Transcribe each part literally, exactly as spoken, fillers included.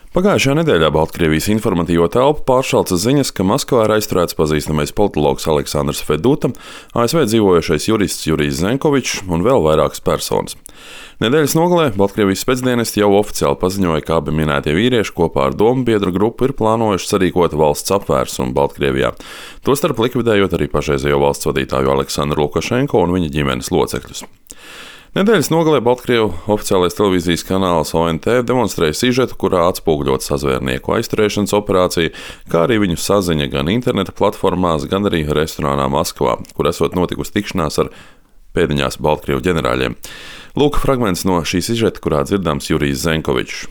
Pagājušajā nedēļā Baltkrievijas informatīvo telpu pāršalca ziņas, ka Maskavā ir aizturēts pazīstamais politologs Aleksandrs Feduta, A S V dzīvojošais jurists Jurijs Zenkovičs un vēl vairākas personas. Nedēļas nogalē Baltkrievijas spēcdienesti jau oficiāli paziņoja, ka abi minētie vīrieši kopā ar domu biedru grupu ir plānojuši sarīkot valsts apvērsumu Baltkrievijā, tostarp likvidējot arī pašreizējo valsts vadītāju Aleksandru Lukašenko un viņa ģimenes locekļus. Nedēļas nogalē Baltkrievu oficiālais televīzijas kanāls O N T demonstrēja sižetu, kurā atspoguļot sazvērnieku aizturēšanas operāciju, kā arī viņu saziņa gan interneta platformās, gan arī restorānā Maskavā, kur esot notikusi tikšanās ar pēdiņās Baltkrievu ģenerāļiem. Lūk fragments no šī sižeta, kurā dzirdams Jurijs Zenkovičs.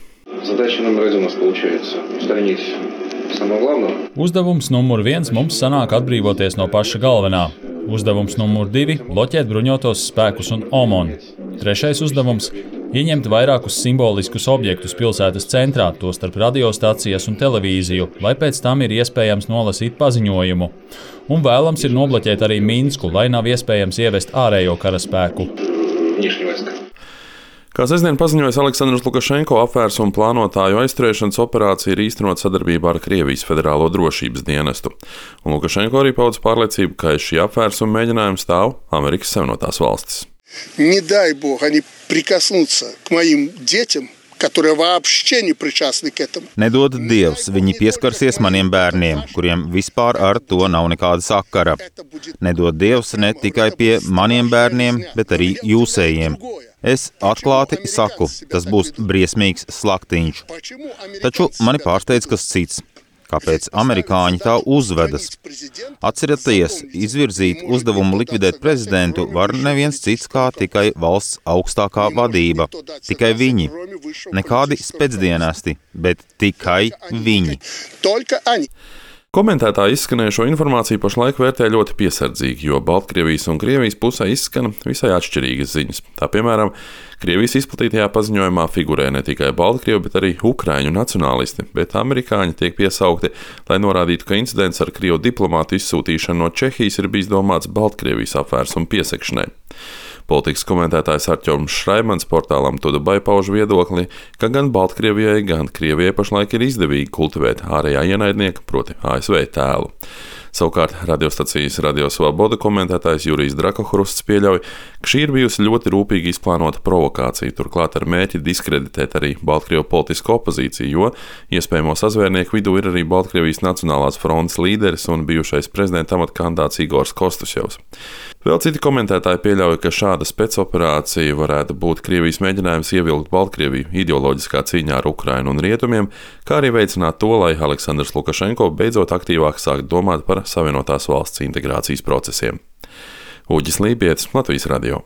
Uzdevums numur viens mums sanāk atbrīvoties no paša galvenā. Uzdevums numur divi – bloķēt bruņotos spēkus un OMON. Trešais uzdevums – ieņemt vairākus simboliskus objektus pilsētas centrā, tostarp radiostacijas un televīziju, lai pēc tam ir iespējams nolasīt paziņojumu. Un vēlams ir nobloķēt arī Minsku, lai nav iespējams ievest ārējo karaspēku. Kā sestdien paziņojas Aleksandrs Lukašenko, apvērsumu plānotāju aizturēšanas operācija ir īstenot sadarbībā ar Krievijas Federālo drošības dienestu. Un Lukašenko arī paudz pārliecību, ka aiz šī apvērsuma mēģinājuma stāv Amerikas Savienotās valstis. Не дай Бог, они прикоснутся к моим детям, которые вообще не причастны к этому. Nedod Dievs, viņi pieskarsies maniem bērniem, kuriem vispār ar to nav nekāda sakara. Nedod Dievs ne tikai pie maniem bērniem, bet arī jūsējiem. Es atklāti saku, tas būs briesmīgs slaktiņš. Taču mani pārsteidz kas cits. Kāpēc amerikāņi tā uzvedas? Atcerieties, izvirzīt uzdevumu likvidēt prezidentu var neviens cits kā tikai valsts augstākā vadība. Tikai viņi. Nekādi spēcdienesti, bet tikai viņi. Komentētāji izskanējušo informāciju pašlaik vērtē ļoti piesardzīgi, jo Baltkrievijas un Krievijas pusē izskana visai atšķirīgas ziņas. Tā piemēram, Krievijas izplatītajā paziņojumā figurē ne tikai Baltkrievi, bet arī ukraiņu nacionālisti, bet amerikāņi tiek piesaukti, lai norādītu, ka incidents ar krievu diplomātu izsūtīšanu no Čehijas ir bijis domāts Baltkrievijas apvērsumu piesakšanai. Politikas komentētājs Artjoms Šraimans portālam Tudubai pauž viedokli, ka gan Baltkrievijai, gan Krievijai pašlaik ir izdevīgi kultivēt ārējā ienaidnieka, proti A S V tēlu. Savukārt radiostacijas Radio Svoboda komentētājs Jurijs Drakohrusts pieļauj, ka šī ir bijusi ļoti rūpīgi izplānota provokācija, turklāt ar mērķi diskreditēt arī Baltkrievu politisko opozīciju, jo iespējamo sazvērnieku vidū ir arī Baltkrievijas Nacionālās frontes līderis un bijušais prezidenta amata kandidāts Igors Kostusjevs. Vēl citi komentētāji pieļauj, ka šāda spēcoperācija varētu būt Krievijas mēģinājums ievilkt Baltkrieviju ideoloģiskā cīņā ar Ukrainu un Rietumiem, kā arī veicināt to, lai Aleksandrs Lukašenko beidzot aktīvāk sākt domāt par Savienotās valsts integrācijas procesiem. Uģis Lībietis, Latvijas radio.